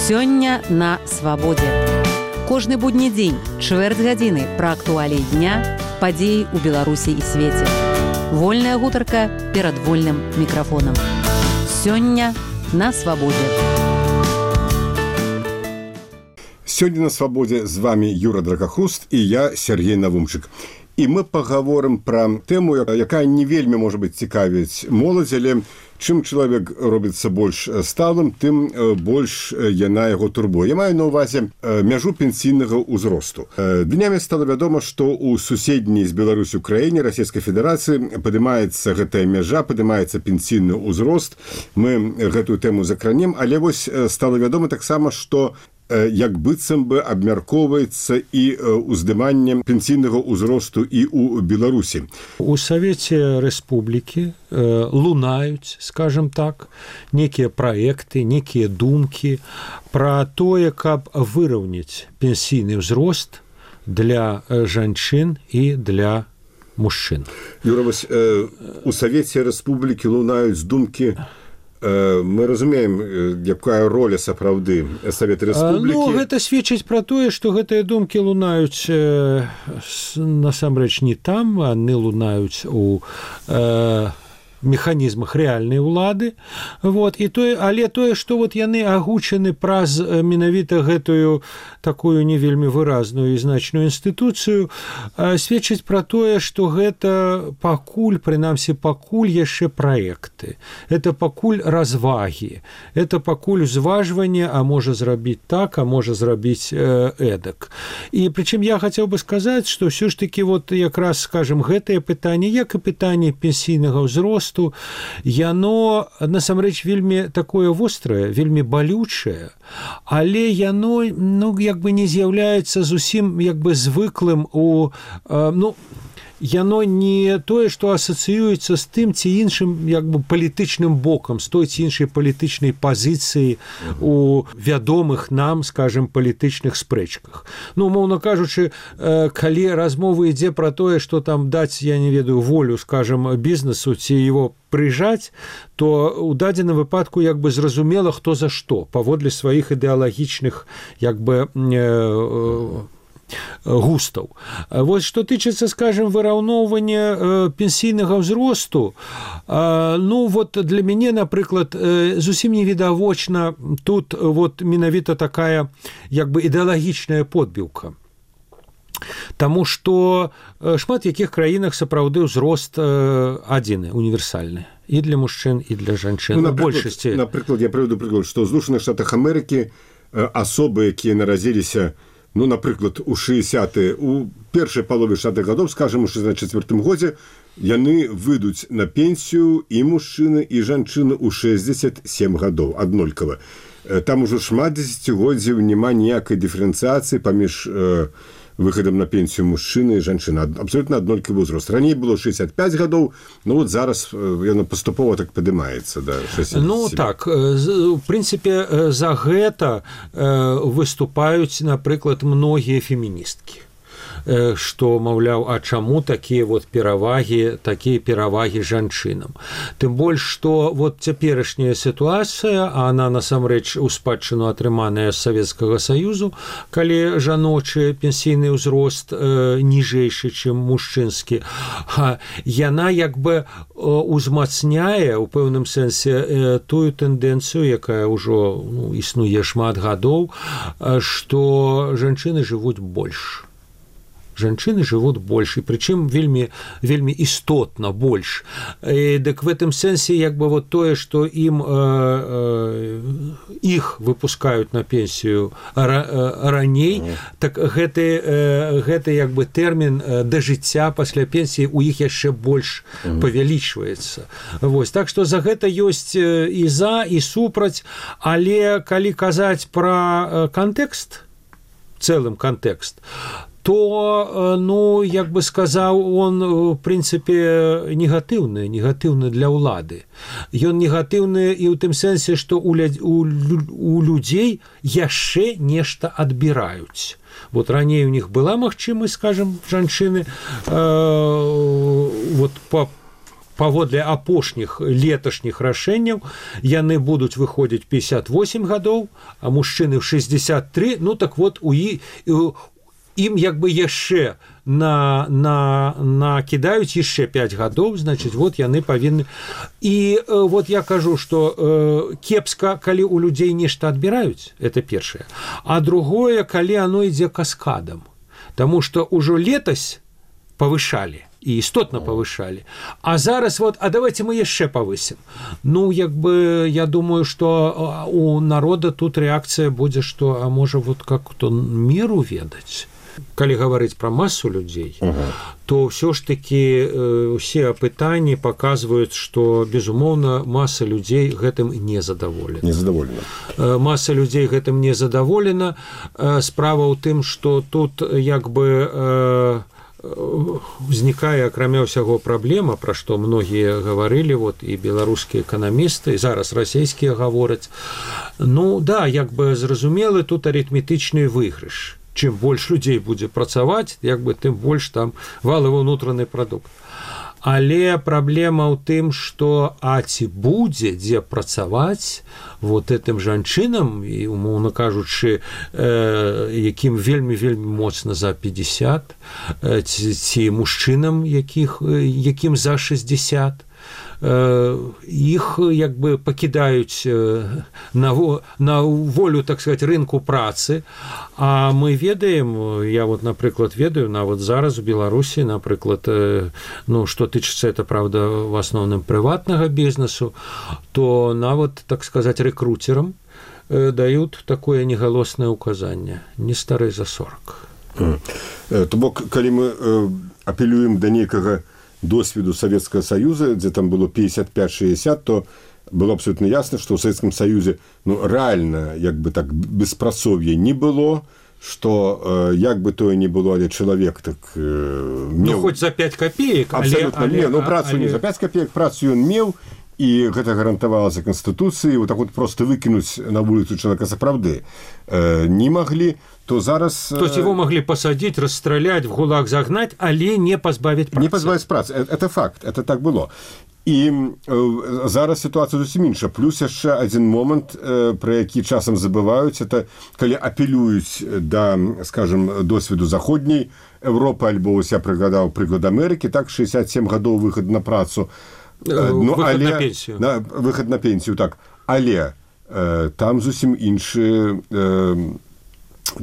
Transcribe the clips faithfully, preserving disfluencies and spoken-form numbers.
Сёння на свабодзе. Кожны будні дзень, чвэрць гадзіны пра актуаліі дня, падзеі ў Беларусі і свеце. Вольная гутарка перад вольным мікрафонам. Сёння на свабодзе. Сёння на свабодзе з вами Юра Дракахруст і я, Сергей Навумчык. І мы пагаворым пра тэму, якая не вельмі можа быць цікавіць моладзь, але чым чалавек робіцца больш сталым, тым больш яна яго турбуе. Я маю на ўвазе мяжу пенсійнага ўзросту. Днямі стала вядома, што ў суседняй з Беларусю краіне Расійскай Федэрацыі падымаецца гэтая мяжа, падымаецца пенсійны ўзрост. Мы гэтую тэму закранем, але вось стала вядома таксама, што як быццам бы абмяркоўваецца і ўздыманне пенсійнага ўзросту і ў Беларусі. У Савеце Рэспублікі э, лунаюць, скажем так, некія праекты, некія думкі пра тое, каб выраўняць пенсійны ўзрост для жанчын і для мужчын. Юра, вось, э, у Савеце Рэспублікі лунаюць думкі. Мы разумеем, якая роля сапраўды Савета Рэспублікі. Ну, гэта сведчыць пра тое, што гэтыя думкі лунаюць э, насамрэч не там, яны лунаюць у э, механізмах рэальнай улады. Вот, і тое, але тое, што вот яны агучаны праз менавіта гэтую такую не вельмі выразную і значную інстытуцыю, э, сведчыць пра тое, што гэта пакуль, прынамсі пакуль яшчэ праекты. Это пакуль развагі. Это пакуль узважванне, а можа зрабіць так, а можа зрабіць э, эдак. І прычым я хацеў бы сказаць, што ўсё ж такі вот якраз, скажем, гэтае пытанне, як і пытанне пенсійнага ўзросту, яно насамрэч вельмі такое вострае, вельмі балючае, але яно, ну, як бы не з'яўляецца зусім як бы звыклым у, ну, яно не тое, што асацыюецца з тым ці іншым як бы палітычным бокам, з той ці іншай палітычнай пазіцыі у вядомых нам, скажем, палітычных спрэчках. Ну, умоўна кажучы, калі размова ідзе пра тое, што там даць, я не ведаю, волю, скажем, бізнесу ці его прыжаць, то у дадзеным выпадку як бы зразумела, хто за што, паводле сваіх ідэалагічных як бы э, густаў. Вось што тычыцца, скажем, выраўноўвання э, пенсійнага ўзросту, э, ну вот для мяне, напрыклад, э, зусім не відавочна тут вот менавіта такая як бы ідэалагічная подбіўка. Таму што шмат якіх краінах сапраўды ўзрост э, адзіны, універсальны. І для мужчын, і для жанчын. Ну, у большасці. Напрыклад, я прыведу прыклад, што ў Злучаных Штатах Амерыкі э, асобы, якія нарадзіліся, ну, напрыклад, у шэсцятыя, у першай палове шэсцятых гадоў, скажам, у шэсцьдзесят чацвёртым годзе, яны выйдуць на пенсію і мужчыны, і жанчыны ў шэсцьдзесят сем гадоў, аднолькава. Там ужо шмат дзесяцігоддзяў няма ніякай дыферэнцыяцыі паміж э, выхадам на пенсію мужчыны і жанчыны. Абсолютна аднолькавы ўзрост. Раней было шэсцьдзесят пяць гадоў, ну вот зараз яно паступова так падымаецца да шэсцьдзесят сем. Ну так, у прынцыпе, за гэта выступаюць, напрыклад, многія феміністкі. Што, маўляў, а чаму такія вот перавагі, такія перавагі жанчынам. Тым больш, што вот цяперашняя сітуацыя, а она насамрэч у спадчыну атрыманая з Савецкага Саюзу, калі жаночы пенсійны ўзрост э, ніжэйшы, чым мужчынскі, яна як бы узмацняе у пэўным сэнсе э, тую тэндэнцыю, якая ўжо ну, існуе шмат гадоў, што жанчыны жывуць больш. Жанчыны жывуць больш, і прычым вельмі, вельмі істотна больш. І, дык в гэтым сэнсе як бы вот тое, што ім э, э, іх выпускаюць на пенсію ра, э, раней, mm. так гэты, э, гэты як бы тэрмін э, да жыцця пасля пенсіі у іх яшчэ больш mm. павялічваецца. Вось, так што за гэта ёсць і за, і супраць, але калі казаць пра кантэкст, цэлым кантэкст, то, ну, як бы сказаў, он, в прынцыпе, негатыўны, негатыўны для ўлады. Ён негатыўны і ў тым сэнсе, што у, у, у людзей яшчэ нешта адбіраюць. Вот раней у них была магчымасць, скажем, жанчыны, э, вот па паводле апошніх леташніх рашэнняў яны будуць выходзіць пятьдесят восемь гадоў, а мужчыны ў шестьдесят три. Ну так вот у і ім як бы яшчэ на, на, накідаюць яшчэ пять гадоў, значыць, вот яны павінны. І э, вот я кажу, што э, кепска, калі у людзей нешта адбіраюць, это першае. А другое, калі оно ідзе каскадам. Таму што ўжо летась павышалі, і істотна павышалі. А зараз вот, а давайте мы яшчэ павысім. Ну, як бы, я думаю, што у народа тут рэакцыя будзе, што, а можа, вот как-то меру ведаць. Калі гаварыць пра масу людзей, ага. то ўсё ж такі э, усе апытанні паказваюць, што, безумоўна, маса людзей гэтым не задаволена. Не задаволена. Э, маса людзей гэтым не задаволена. Э, справа ў тым, што тут як бы э, узнікае, акрамя ўсяго, праблема, пра што многія гаварылі, вот, і беларускія эканамісты, і зараз расійскія гавораць. Ну, да, як бы зразумелы тут арытметычны выйгрыш. Чым больш людзей будзе працаваць, як бы тым больш там валавы ўнутраны прадукт. Але праблема ў тым, што а ці будзе дзе працаваць вот этым жанчынам, і умоўна кажучы, э, якім вельмі-вельмі моцна за пятьдесят, э, ці, ці мужчынам, якіх, якім за шестьдесят, іх як бы пакідаюць на, на волю, так сказать, рынку працы. А мы ведаем, я вот, напрыклад, ведаю, нават зараз у Беларусі, напрыклад, ну, што тычыцца, это, правда, в асноўным прыватнага бізнесу, то нават, так сказать, рэкруцерам даюць такое негалоснае указанне: не старэй за сорок. То бок, калі мы апелюем да нейкага досведу Советского Союза, где там было пятьдесят пять шестьдесят, то было абсолютно ясно, что в Советском Союзе, ну, реально, як бы так, беспрацовья не было, что э, як бы то и не было, але человек так... Э, мел... Ну, хоть за пять копеек. Абсолютно, але, але, ну, працу але... не за пять копеек, працу он мел, и гэта гарантавалася Конституцией, вот так вот просто выкинуть на улицу человека сапраўды э, не могли, то зараз... То есть его могли посадить, расстрелять, в ГУЛАГ загнать, але не позбавить працы. Не позбавить працы, это факт, это так было. І э, зараз ситуація зусім інша. Плюс яшчэ один момент, э, про які часам забываюць, это калі апелююць да, скажем, досведу заходняй Европы, альбо я прыгадаў прыклад Амерыкі, так, шестьдесят семь гадоў выхад на працу. Э, ну, выхад але, на пенсію. На, выхад на пенсію, так. Але э, там зусім іншы... Э,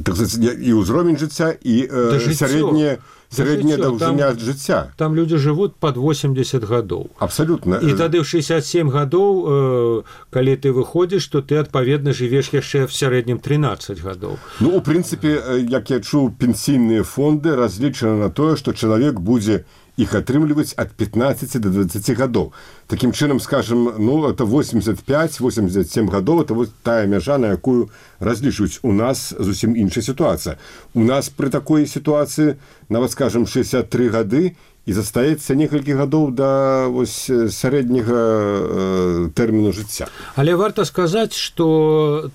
так сказать, і ўзровень жыцця, і э, сярэдняя сярэдняя даўжыня жыцця. Там люди жывуць пад восемьдесят гадоў. Абсолютно. І тады ў шестьдесят семь гадоў, э, калі ты выходзіш, то ты, адпаведна, жывеш яшчэ в сярэднім тринадцать гадоў. Ну, у прынцыпе, як я чуў, пенсійныя фонды разлічаны на тое, што чалавек будзе іх атрымліваць ад пятнадцати до двадцати гадоў. Такім чынам, скажем, ну, это восемьдесят пять восемьдесят семь гадоў, это вот тая мяжа, на якую разлічваюць. У нас зусім іншая сітуацыя. У нас пры такой сітуацыі, нават, скажем, шестьдесят три гады, і застаецца некалькі гадоў да вось сярэдняга э, тэрміну жыцця. Але варта сказаць, што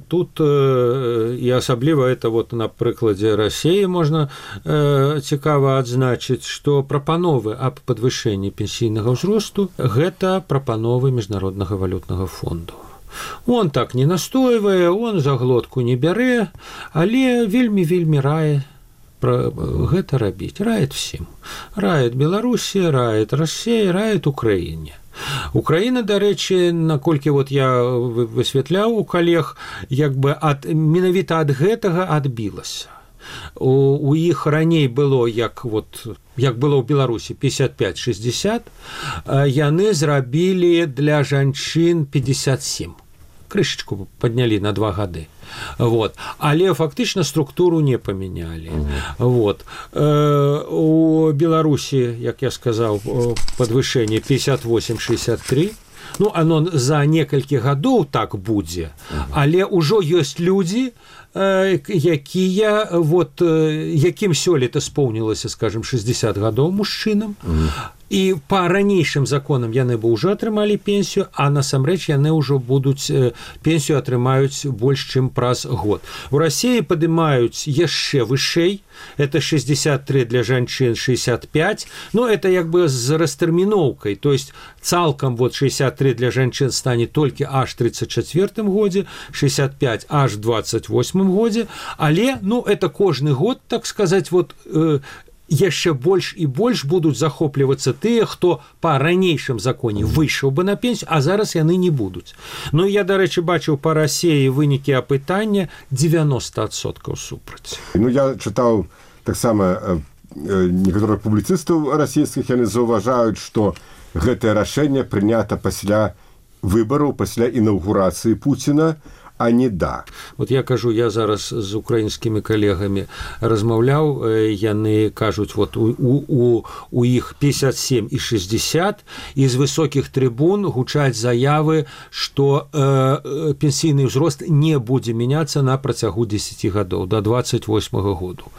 тут э, і асабліва это вот на прыкладзе Расіі можна э, цікава адзначыць, што прапановы аб падвышэнні пенсійнага ўзросту гэта прапановы міжнароднага валютнага фонду. Он так не настойвае, он за глотку не бярэ, але вельмі-вельмі рае про гэта рабіць, раіць всім. Раіць Беларусі, раіць Расія, раіць Украіне. Украіна, дарэчы, наколькі вот я высвятляў у калег, як бы ад, менавіта ад гэтага адбілася. У, у іх раней было, як, вот, як было ў Беларусі пятьдесят пять шестьдесят, яны зрабілі для жанчын пятьдесят семь. Крышечку паднялі на два гады. Вот. Але фактычна структуру не памянялі. Mm-hmm. Вот. Э, у Беларусі, як я сказаў, падвышэнне пятьдесят восемь шестьдесят три. Ну, оно за некалькі гадоў так будзе. Mm-hmm. Але ўжо ёсць людзі, якія вот якім сёлета споўнілася, скажем, шэсцьдзесят гадоў мужчынам. Mm. І па ранейшым законам яны бы ўжо атрымалі пенсію, а насамрэч яны ўжо будуць пенсію атрымаюць больш, чым праз год. У Расіі падымаюць яшчэ вышэй, это шэсцьдзесят тры для жанчын, шэсцьдесят пять, ну, это як бы з растэрміноўкай, то есть цалкам вот шэсцьдесят тры для жанчын стане толькі аж тридцать четвёртым годзе, шэсцьдесят пять аж двадцать восьмым годзе, але, ну, это кожны год, так сказаць, вот, э, яшчэ больш і больш будуць захоплівацца тыя, хто па ранейшым законе выйшаў бы на пенсію, а зараз яны не будуць. Ну, я, дарэчы, бачыў па Расіі вынікі апытання девяносто адсоткаў супраць. Ну, я чытаў таксама некаторых публіцыстаў расійскіх, яны заўважаюць, што гэтае рашэнне прынята пасля выбараў, пасля інаўгурацыі Пуціна, а не да. Вот я кажу, я зараз з украінскімі калегамі размаўляў, яны кажуць, вот у, у, у іх пятьдесят семь і шестьдесят, і з высокіх трыбун гучаць заявы, што э, пенсійны ўзрост не будзе мяняцца на працягу дзесяці гадоў, да двадцать восьмага году.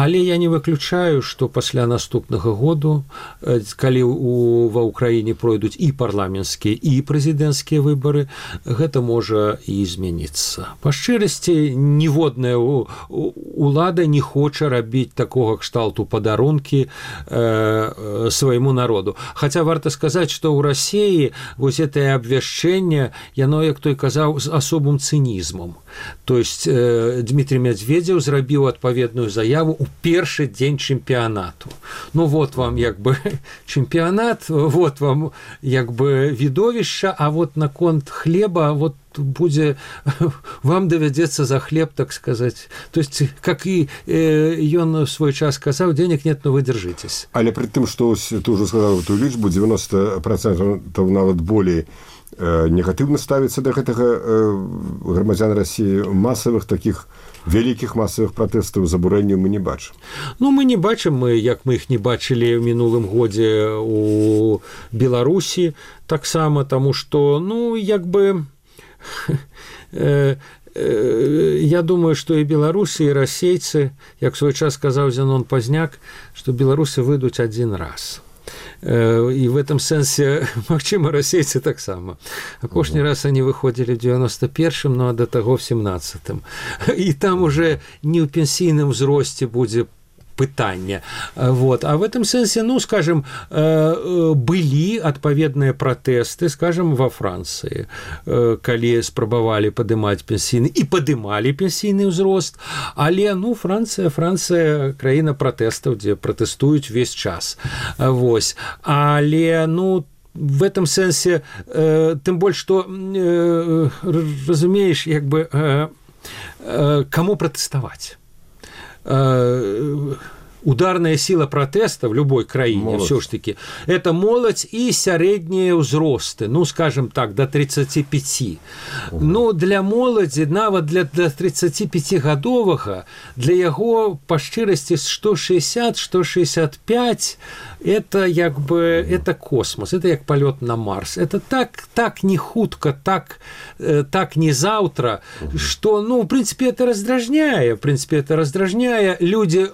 Але я не выключаю, што пасля наступнага году, э, калі у, ва ўкраіне пройдуць і парламенцкія, і прэзідэнцкія выбары, гэта можа і змяніць. Па шчырасці, ніводная улада не хоча рабіць такога кшталту падарункі э, свайму народу. Хаця варта сказаць, што ў Расіі вось гэтае абвяшчэнне, яно, як той казаў, з асобым цынізмам. То есть э, Дмітрий Медведзеў зрабіў адпаведную заяву ў першы дзень чэмпіянату. Ну вот вам як бы чэмпіянат, вот вам як бы відовішча, а вот наконт хлеба, вот будзе, вам давядзецца за хлеб, так сказать. То есть, как і э, ён в свой час казаў, денег нет, но вы держитесь. Але пры тым, што ты ўжо сказаў эту лічбу, девяносто процентов нават болей э, негатыўна ставіцца да гэтага э, грамадзян Расіі, масавых такіх вялікіх масавых пратэстаў, забурэнняў мы не бачым. Ну, мы не бачым, мы, як мы іх не бачылі ў мінулым годзе у Беларусі, таксама, таму што, ну, як бы я думаю, што і беларусы, і расейцы, як свой час сказаў Зенон Пазняк, што беларусы выйдуць адзін раз. І в этом сэнсе, магчыма, расейцы таксама. Апошні раз они выходзілі ў девяносто первым, ну, а да таго в семнадцатым. І там уже не ў пенсійным узросце будзе пытання. Вот. А в этом сэнсе, ну, скажем, былі адпаведныя пратэсты, скажем, во Францыі, калі спрабавалі падымаць пенсійны, і падымалі пенсійны ўзрост, але, ну, Францыя, Францыя краіна пратэстаў, дзе пратэстуюць увесь час. Вось. Але, ну, в этом сэнсе, э, тым больш, што, э, разумееш, як бы, э, э, каму пратэставаць? Ударная сила протеста в любой краине все ж таки это молодь и сярэднія ўзросты, ну, скажем так, до тридцати пяти. Угу. Ну, для моладзі, нават для, для тридцатипятигадовага, для яго па шчырасці сто шестьдесят - сто шестьдесят пять это як бы угу. это космос, это як полет на Марс. Это так, так не хутка, так, так не завтра, угу. что, ну, в принципе, это раздражняе, в принципе, это раздражняе. Люди,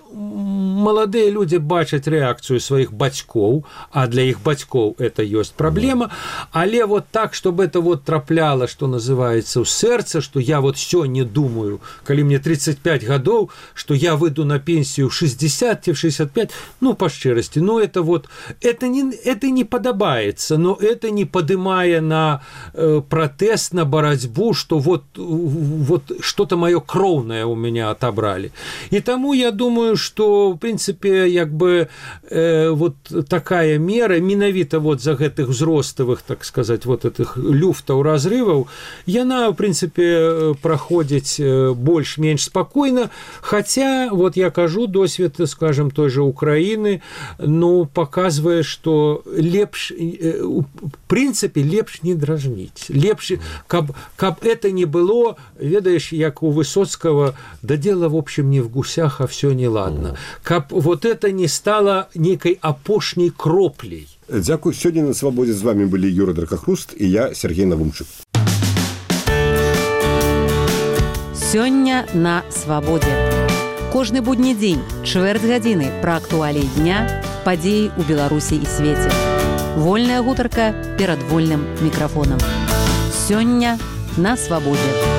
маладыя люди бачаць рэакцыю сваіх бацькоў, а для іх бацькоў это ёсць праблема, але вот так, чтобы это вот трапляла, что называется, ў сэрца, что я вот сёння думаю, калі мне тридцать пять гадоў, что я выйду на пенсию в шестьдесят - в шестьдесят пять, ну, по шчырасці, ну, это вот, это не, это не падабаецца, но это не падымае на э, протест, на барацьбу, что вот, вот что-то моё кроўнае у меня отобрали. И тому я думаю, что в принципе, як бы э, вот такая мера, менавіта вот за гэтых узроставых, так сказать, вот этих люфтаў, разрываў, яна, в принципе, праходзіць больш-менш спокойно, хотя, вот я кажу, досвед, скажем, той же Украины, ну, показывае, что лепш, э, в принципе, лепш не дражніць, лепш, каб, каб это не было, ведаешь, як у Высоцкого, да дело, в общем, не в гусях, а все неладно. Каб вот это не стало некой апошняй кроплей. Дзякуй. Сёння на свабодзе з вами былі Юра Дракахруст і я, Сергей Навумчык. Сёння на свабодзе. Кожны будні дзень, чвэрць гадзіны пра актуаліі дня, падзеі ў Беларусі і свеце. Вольная гутарка перад вольным мікрафонам. Сёння на свабодзе.